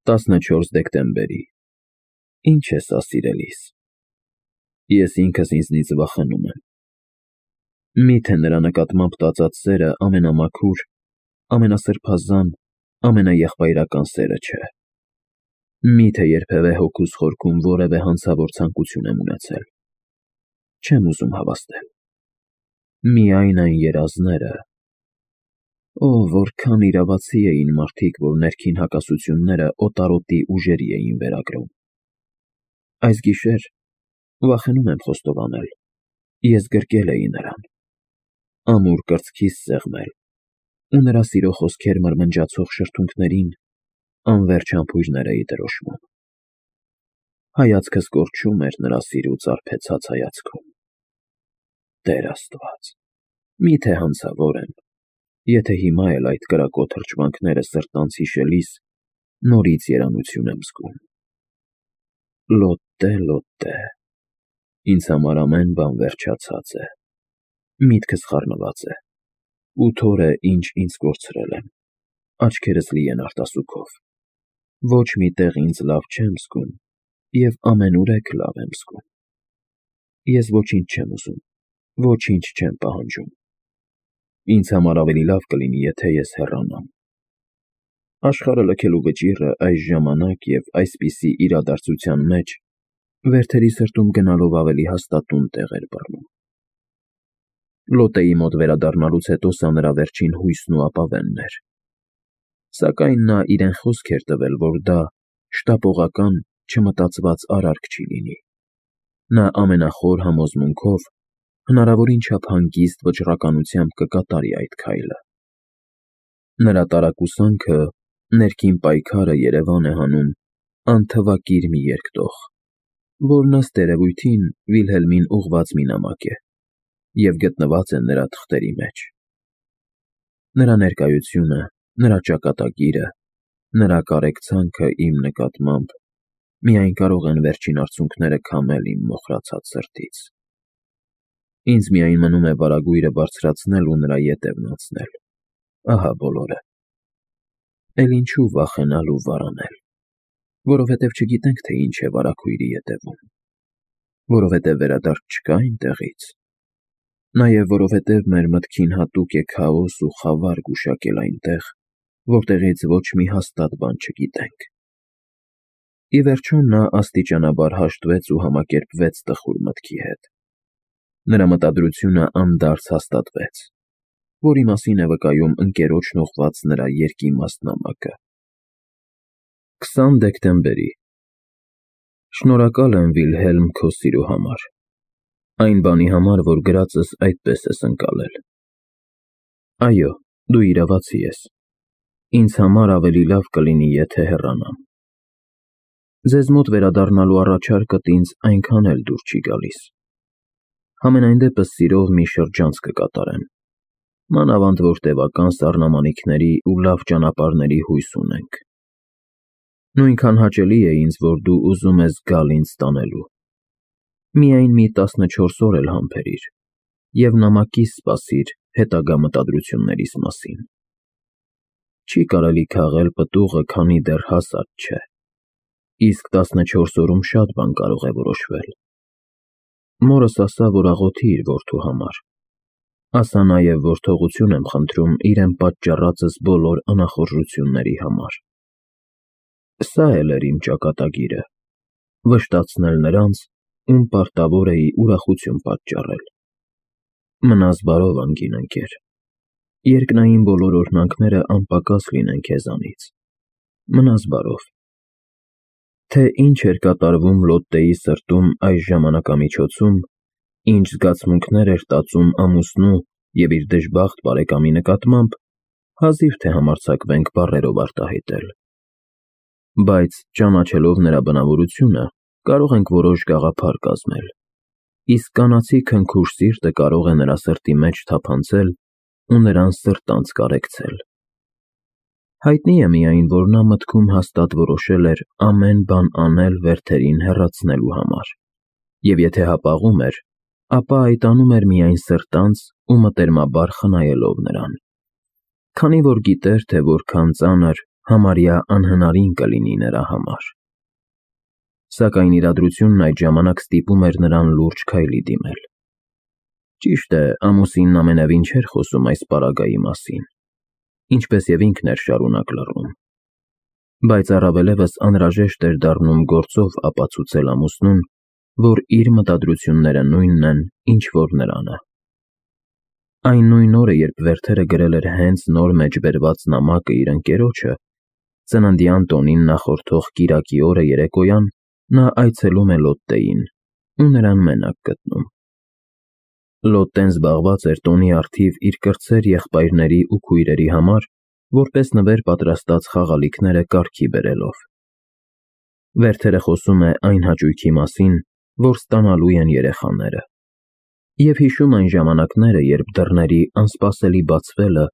14 դեկտեմբերի։ Ինչ է սա, սիրելիս։ Ես ինքս ինձնից վախենում եմ։ Միթե նրա նկատմամբ տածած սերը ամենամաքուր, ամենասրբազան, ամենաեղբայրական սերը չէ։ Միթե երբևէ հոգուս խորքում որևէ հանցավոր ցանկություն եմ ունեցել։ Չեմ ուզում հավաստել։ Միայն այն երազները… Օ, որքան իրավացի էին մարդիկ, որ ներքին հակասությունները օտարոտի ուժերի էին վերագրում։ Այս գիշեր վախենում եմ խոստովանել, ես գրկել էի նրան, ամուր կրծքիս սեղմել ու նրա սիրո խոսքեր մրմնջացող շրթունքներին անվերջ համբույրներ էի դրոշմում։ Հայացքս կորչում էր նրա սիրուց արբեցած հայացքում։ Տեր Աստված, միթե հանցավոր եմ, եթե հիմա էլ այդ կրակոտ հրճվանքները սրտանց հիշելիս նորից երանություն եմ զգում։ Լոտտե, լոտտե, ինձ համար ամեն բան վերջացած է, միտքս խառնված է, ու թորը ինչ ինձ կորցրել եմ, աչքերս լի են արտասուքով, ոչ մի տեղ ինձ լավ չեմ զգում և ամենուրեք լավ եմ զգում։ Ես ոչինչ չեմ ուզում, ոչինչ չեմ պահանջում։ Ինձ համար ավելի լավ կլինի, եթե ես հեռանամ։ Աշխարհը լքելու վճիռը այս ժամանակ և այսպիսի իրադարձության մեջ վերթերի սրտում գնալով ավելի հաստատուն տեղ էր բռնում։ Լոտտեի մոտ վերադառնալուց հետո սա նրա վերջին հույսն ու ապավենն էր։ Սակայն նա իրեն խոսք էր տվել, որ դա շտապողական, չմտածված արարք չի լինի։ Նա ամենախոր համոզմունքով հնարավորին չափ հանգիստ վճռականությամբ կկատարի այդ քայլը։ Նրա տարակուսանքը, ներքին պայքարը երևան է հանում անթվակիր մի երկտող, որն ըստ երևույթին Վիլհելմին ուղղված մի նամակ է և գտնված է նրա թղթերի մեջ։ Նրա ներկայությունը, նրա ճակատագիրը, նրա կարեկցանքը իմ նկատմամբ միայն կարող են վերջին արցունքները քամել իմ մոխրացած սրտից։ Ինձ միայն մնում է վարագույրը բարձրացնել ու նրա ետևն անցնել, ահա բոլորը։ Էլ ինչու վախենալ ու վարանել, որովհետև չգիտենք, թե ինչ է վարագույրի ետևում, որովհետև վերադարձ չկա այնտեղից, նաև որովհետև մեր մտքին հատուկ է քաոս ու խավար գուշակել այնտեղ, որտեղից ոչ մի հաստատ բան չգիտենք։ Ի վերջո նա աստիճանաբար հաշտվեց ու համակերպվեց տխուր մտքի հետ։ Նրա մտադրությունը անդարձ հաստատվեց, որի մասին է վկայում ընկերոջն ուղղված նրա երկիմաստ նամակը։ 20 դեկտեմբերի։ Շնորհակալ եմ, Վիլհելմ, քո սիրո համար, այն բանի համար, որ գրածս այդպես ես ընկալել։ Այո, դու իրավացի ես։ Ինձ համար ավելի լավ կլինի, եթե հեռանամ։ Ձեզ մոտ վերադառնալու առաջարկդ ինձ այնքան էլ դուր չի գալիս։ Համենայն դեպս սիրով մի շրջանց կկատարեմ, մանավանդ որ տևական սառնամանիքների ու լավ ճանապարհների հույս ունենք։ Նույնքան հաճելի է ինձ, որ դու ուզում ես գալ ինձ տանելու։ Միայն մի 14 օր էլ համբերիր և նամակիս սպասիր հետագա մտադրություններիս մասին։ Չի կարելի քաղել պտուղը, քանի դեռ հասած չէ, իսկ 14 օրում շատ բան կարող է որոշվել։ Մորս ասա, որ աղոթի իր որդու համար։ Ասա նաև, որ թողություն եմ խնդրում իրեն պատճառածս բոլոր անախորժությունների համար։ Սա էլ էր իմ ճակատագիրը՝ վշտացնել նրանց, ում պարտավոր էի ուրախություն պատճառել։ Մնաս բարով, անգին ընկեր։ Երկնային բոլոր օրհնանքները անպակաս լինեն քեզանից։ Մնաս բարով։ Թե ինչ էր կատարվում Լոտտեի սրտում այս ժամանակամիջոցում, ինչ զգացմունքներ էր տածում ամուսնու և իր դժբախտ բարեկամի նկատմամբ, հազիվ թե համարձակվենք բառերով արտահայտել։ Բայց ճանաչելով նրա բնավորությունը, կարող ենք որոշ գաղափար կազմել, իսկ կանացի քնքուշ սիրտը կարող է նրա սրտի մեջ թափանցել ու նրան սրտանց կարեկցել։ Հայտնի է միայն, որ նա մտքում հաստատ որոշել էր ամեն բան անել վերթերին հեռացնելու համար, և եթե հապաղում էր, ապա այդ անում էր միայն սրտանց ու մտերմաբար խնայելով նրան, քանի որ գիտեր, թե որքան ծանր համարյա անհնարին կլինի նրա համար։ Սակայն իրադրությունն այդ ժամանակ ստիպում էր նրան լուրջ քայլի դիմել։ Ճիշտ է, ամուսինն ամենևին չէր խոսում այս պարագայի մասին, ինչպես եւ ինքն էր շարունակ լռում, բայց առավելևս անհրաժեշտ էր դառնում գործով ապացուցել ամուսնուն, որ իր մտադրությունները նույնն են, ինչ որ նրանը։ Այն նույն օրը, երբ Վերթերը գրել էր հենց նոր մեջբերված նամակը իր ընկերոջը, ծննդյան տոնին նախորդող կիրակի օրը երեկոյան նա այցելում է Լոտտեին ու նրան մենակ գտնում։ Լոտտեն զբաղված էր տոնի առթիվ իր կրտսեր եղբայրների ու քույրերի համար, որպես նվեր պատրաստած խաղալիքները կարգի բերելով։ Վերթերը խոսում է այն հաճույքի մասին, որ ստանալու են երեխաները, և հիշում այն ժամանակները, երբ դռների անսպասելի բացվելը,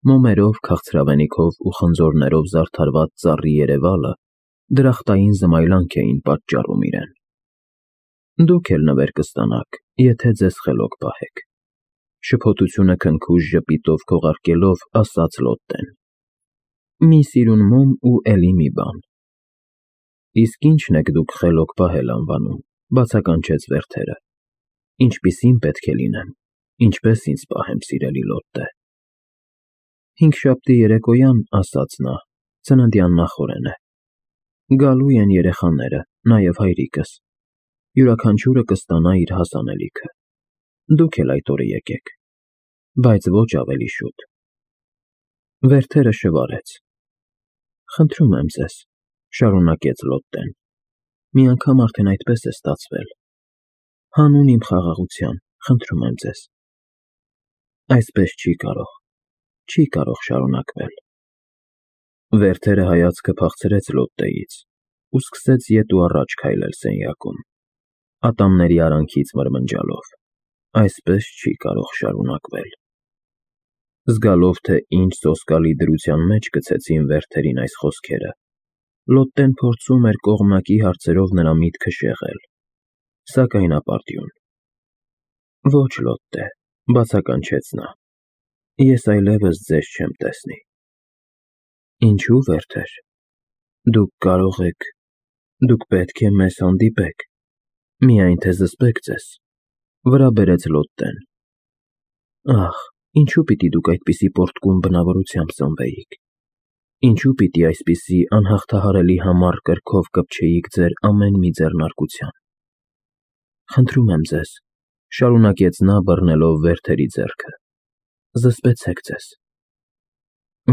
մոմերով, քաղցրավենիքով ու խնձորներով զարդարված ծառի երևալը դրախտային զմայլանք էին պատճառում իրեն։ Դուք էլ նվեր կստանաք, եթե ձեզ խելոք պահեք, շփոթությունը քնքուշ ժպիտով քողարկելով ասաց Լոտտեն։ Մի սիրուն մոմ ու էլի մի բան։ Իսկ ի՞նչն եք դուք խելոք պահել անվանում, բացականչեց Վերթերը։ Ինչպիսին պետք է լինեմ, ինչպես ինձ պահեմ, սիրելի Լոտտե։ Հինգշաբթի երեկոյան, ասաց նա, ծննդյան նախօրեն է։ Գալու են երեխաները, նաև հայրիկս։ Յուրաքանչյուրը կստանա իր հասանելիքը։ Դուք էլ այդ օրը եկեք, բայց ոչ ավելի շուտ։ Վերթերը շվարեց։ Խնդրում եմ ձեզ, շարունակեց Լոտտեն, մի անգամ արդեն այդպես է ստացվել։ Հանուն իմ խաղաղության, խնդրում եմ ձեզ։ Այսպես չի կարող շարունակվել։ Վերթերը հայացքը փախցրեց Լոտտեից ու սկսեց ետ ու առաջ քայլել սենյակում, ատամների արանքից մրմնջալով։ Այսպես չի կարող շարունակվել։ Զգալով, թե ինչ սոսկալի դրության մեջ գցեցին Վերթերին այս խոսքերը, Լոտտեն փորձում էր կողմնակի հարցերով նրա միտքը շեղել, սակայն ապարդյուն։ Ոչ, Լոտտե, բացականչեց նա, ես այլևս ձեզ չեմ տեսնի։ Ինչու, Վերթեր, դուք պետք է մեզ հանդիպեք, միայն թե զսպեք ձեզ, վրա բերեց Լոտտեն։ Ախ, ինչու պիտի դուք այդպիսի պոռթկուն բնավորությամբ սնվեիք, ինչու պիտի այսպիսի անհաղթահարելի համառ կրքով կպչեիք ձեր ամեն մի ձեռնարկության։ Խնդրում եմ ձեզ, շարունակեց նա բռնելով Վերթերի ձեռքը, զսպեցեք ձեզ։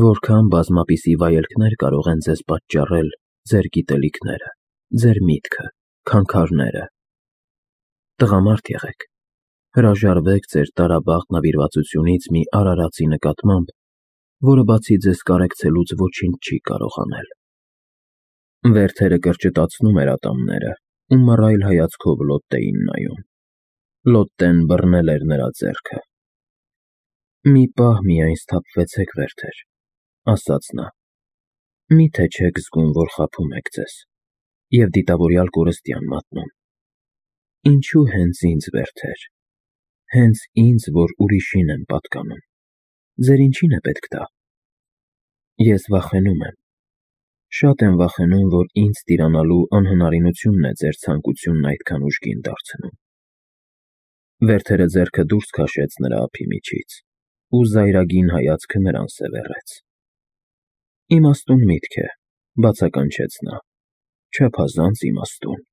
Որքան բազմապիսի վայելքներ կարող են ձեզ պատճառել ձեր գիտելիքները, ձեր միտքը, քանքարները։ Տղամարդ եղեք, հրաժարվեք ձեր տարաբաղ նվիրվածությունից մի արարածի նկատմամբ, որը բացի ձեզ կարեկցելուց ոչինչ չի կարող անել։ Վերթերը կրճտացնում էր ատամները ու մռայլ հայացքով Լոտտեին նայում։ Լոտտեն բռնել էր նրա ձեռքը։ Մի պահ միայն սթափվեցեք, Վերթեր, ասաց նա։ Միթե չեք զգում, որ խաբում եք ձեզ և դիտավորյալ կորստյան մատնում։ Ինչու հենց ինձ, Վերթեր, հենց ինձ, որ ուրիշին եմ պատկանում։ Ձեր ինչին է պետք դա։ Ես վախենում եմ։ Շատ եմ վախենում, որ ինձ տիրանալու անհնարինությունն է ձեր ցանկությունն այդքան ուժգին դարձնում։ Վերթերը ձեռքը դուրս քաշեց նրա ափի միջից ու զայրագին հայացքը նրան սևեռեց։ Իմաստուն միտք է, բացականչեց նա, չափազանց իմաստուն։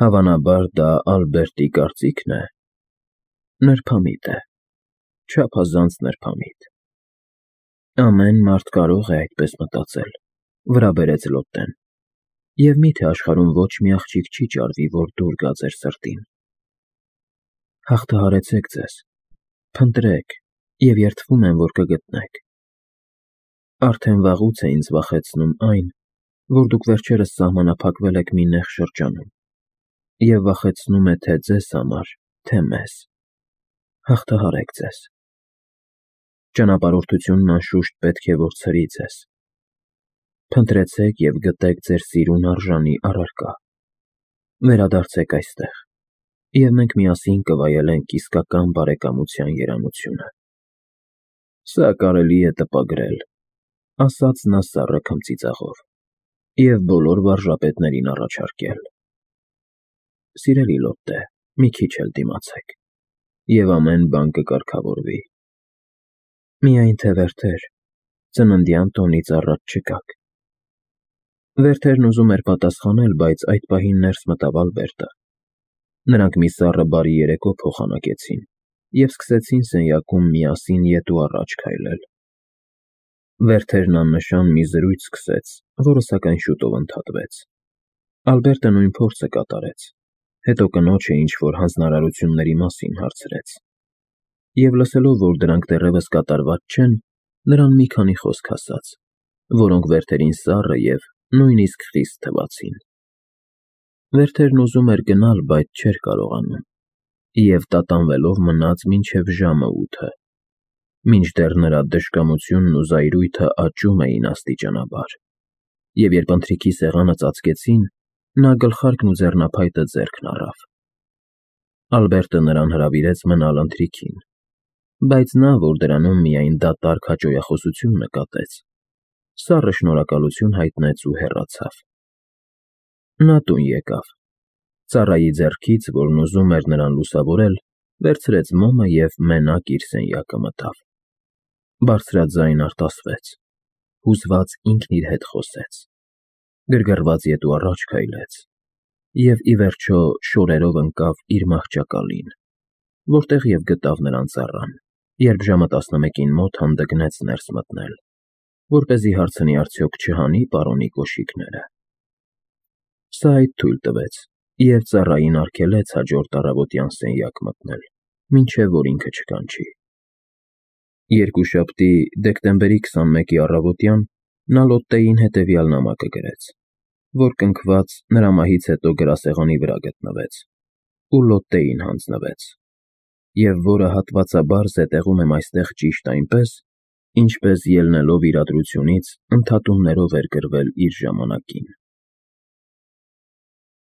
Հավանաբար դա Ալբերտի կարծիքն է։ Նրբամիտ է, չափազանց նրբամիտ։ Ամեն մարդ կարող է այդպես մտածել, վրա բերեց Լոտտեն։ Եվ միթե աշխարհում ոչ մի աղջիկ չի ճարվի, որ դուր գա ձեր սրտին։ Հաղթահարեցեք ձեզ, փնտրեք և երդվում եմ, որ կգտնեք։ Արդեն վաղուց է ինձ վախեցնում այն, որ դուք վերջերս սահմանափակվել եք մի նեղ շրջանում, և վախեցնում է թե ձեզ համար, թե մեզ։ Հաղթահարեք ձեզ։ Ճանապարհորդությունն անշուշտ պետք է որ ցրի ձեզ։ Փնտրեցեք և գտեք ձեր սիրուն արժանի առարկա։ Վերադարձեք այստեղ, և մենք միասին կվայելենք իսկական բարեկամության երանությունը։ Սա կարելի է տպագրել, ասաց նա սառը քմծիծաղով, և բոլոր վարժապետներին առաջարկել. Սիրելի լոտտե, մի քիչ էլ դիմացեք, և ամեն բան կկարգավորվի։ Միայն թե Վերթեր, ծննդյան տոնից առաջ չգաք։ Վերթերն ուզում էր պատասխանել, բայց այդ պահին ներս մտավ Ալբերտը։ Նրանք մի սառը բարի երեկո փոխանակեցին և սկսեցին սենյակում միասին ետ ու առաջ քայլել։ Վերթերն աննշան մի զրույց սկսեց, որը սակայն շուտով ընդհատվեց։ Ալբերտը նույն փորձը կատարեց, հետո կնոջը ինչ-որ հանձնարարությունների մասին հարցրեց։ Եվ լսելով, որ դրանք դեռևս կատարված չեն, նրան մի քանի խոսք ասաց, որոնք Վերթերին սառը և նույնիսկ խիստ թվացին։ Վերթերն ուզում էր գնալ, բայց չէր կարողանում, և տատանվելով մնաց մինչև ժամը 8-ը, մինչդեռ նրա դժկամությունն ու զայրույթը աճում էին աստիճանաբար, և երբ ընթրիքի սեղանը ծածկեցին, նա գլխարկն ու ձեռնափայտը ձեռքն առավ։ Ալբերտը նրան հրավիրեց մնալ ընթրիքին, բայց նա, որ դրանում միայն դատարկ հաճոյախոսություն նկատեց, սառը շնորհակալություն հայտնեց ու հեռացավ։ Նա տուն եկավ, ծառայի ձեռքից, որն ուզում էր նրան լուսավորել, վերցրեց մոմը և մենակ իր սենյակը մտավ։ Բարձրաձայն արտասվեց, հուզված ինքն իր հետ խոսեց, գրգռված ետ ու առաջ քայլեց և, ի վերջո, շորերով ընկավ իր մահճակալին, որտեղ և գտավ նրան ծառան, երբ ժամը 11-ին մոտ հանդգնեց ներս մտնել, որպեսզի հարցնի արդյոք չհանի պարոնի կոշիկները։ Սա այդ թույլ տվեց և ծառային արգելեց հաջորդ առավոտյան սենյակ մտնել, մինչև որ ինքը չկանչի։ Երկուշաբթի, դեկտեմբերի 21-ի առավոտյան նա Լոտտեին հետևյալ նամակը գրեց, որ կնքված նրա մահից հետո գրասեղանի վրա գտնվեց ու Լոտտեին հանձնվեց, և որը հատվածաբար զետեղում եմ այստեղ ճիշտ այնպես, ինչպես ելնելով իրադրությունից ընդհատումներով էր գրվել իր ժամանակին։